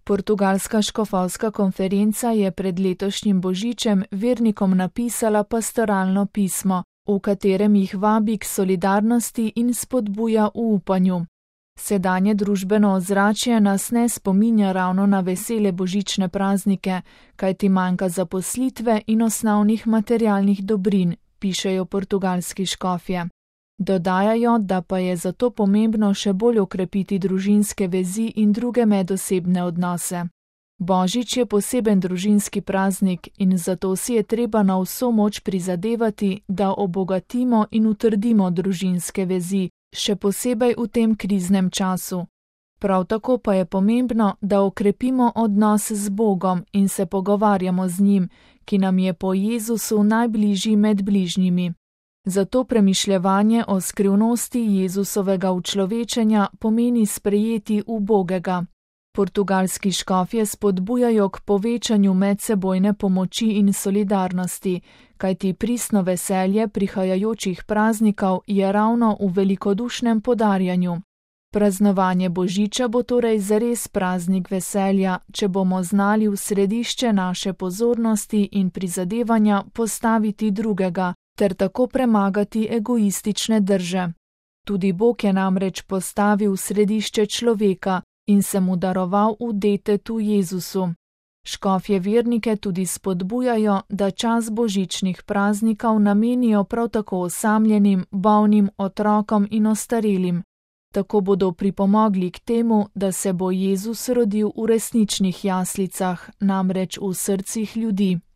Portugalska škofovska konferenca je pred letošnjim božičem vernikom napisala pastoralno pismo, v katerem jih vabi k solidarnosti in spodbuja v upanju. Sedanje družbeno ozračje nas ne spominja ravno na vesele božične praznike, kajti manjka zaposlitve in osnovnih materialnih dobrin, pišejo portugalski škofje. Dodajajo, da pa je zato pomembno še bolj okrepiti družinske vezi in druge medosebne odnose. Božič je poseben družinski praznik in zato si je treba na vso moč prizadevati, da obogatimo in utrdimo družinske vezi, še posebej v tem kriznem času. Prav tako pa je pomembno, da okrepimo odnos z Bogom in se pogovarjamo z njim, ki nam je po Jezusu najbližji med bližnjimi. Zato premišljevanje o skrivnosti Jezusovega učlovečenja pomeni sprejeti ubogega. Portugalski škofje spodbujajo k povečanju medsebojne pomoči in solidarnosti, kajti pristno veselje prihajajočih praznikov je ravno v velikodušnem podarjanju. Praznovanje božiča bo torej zares praznik veselja, če bomo znali v središče naše pozornosti in prizadevanja postaviti drugega, ter tako premagati egoistične drže. Tudi Bog je namreč postavil v središče človeka in se mu daroval v detetu Jezusu. Škofje vernike tudi spodbujajo, da čas božičnih praznikov namenijo prav tako osamljenim, bolnim, otrokom in ostarelim. Tako bodo pripomogli k temu, da se bo Jezus rodil v resničnih jaslicah, namreč v srcih ljudi.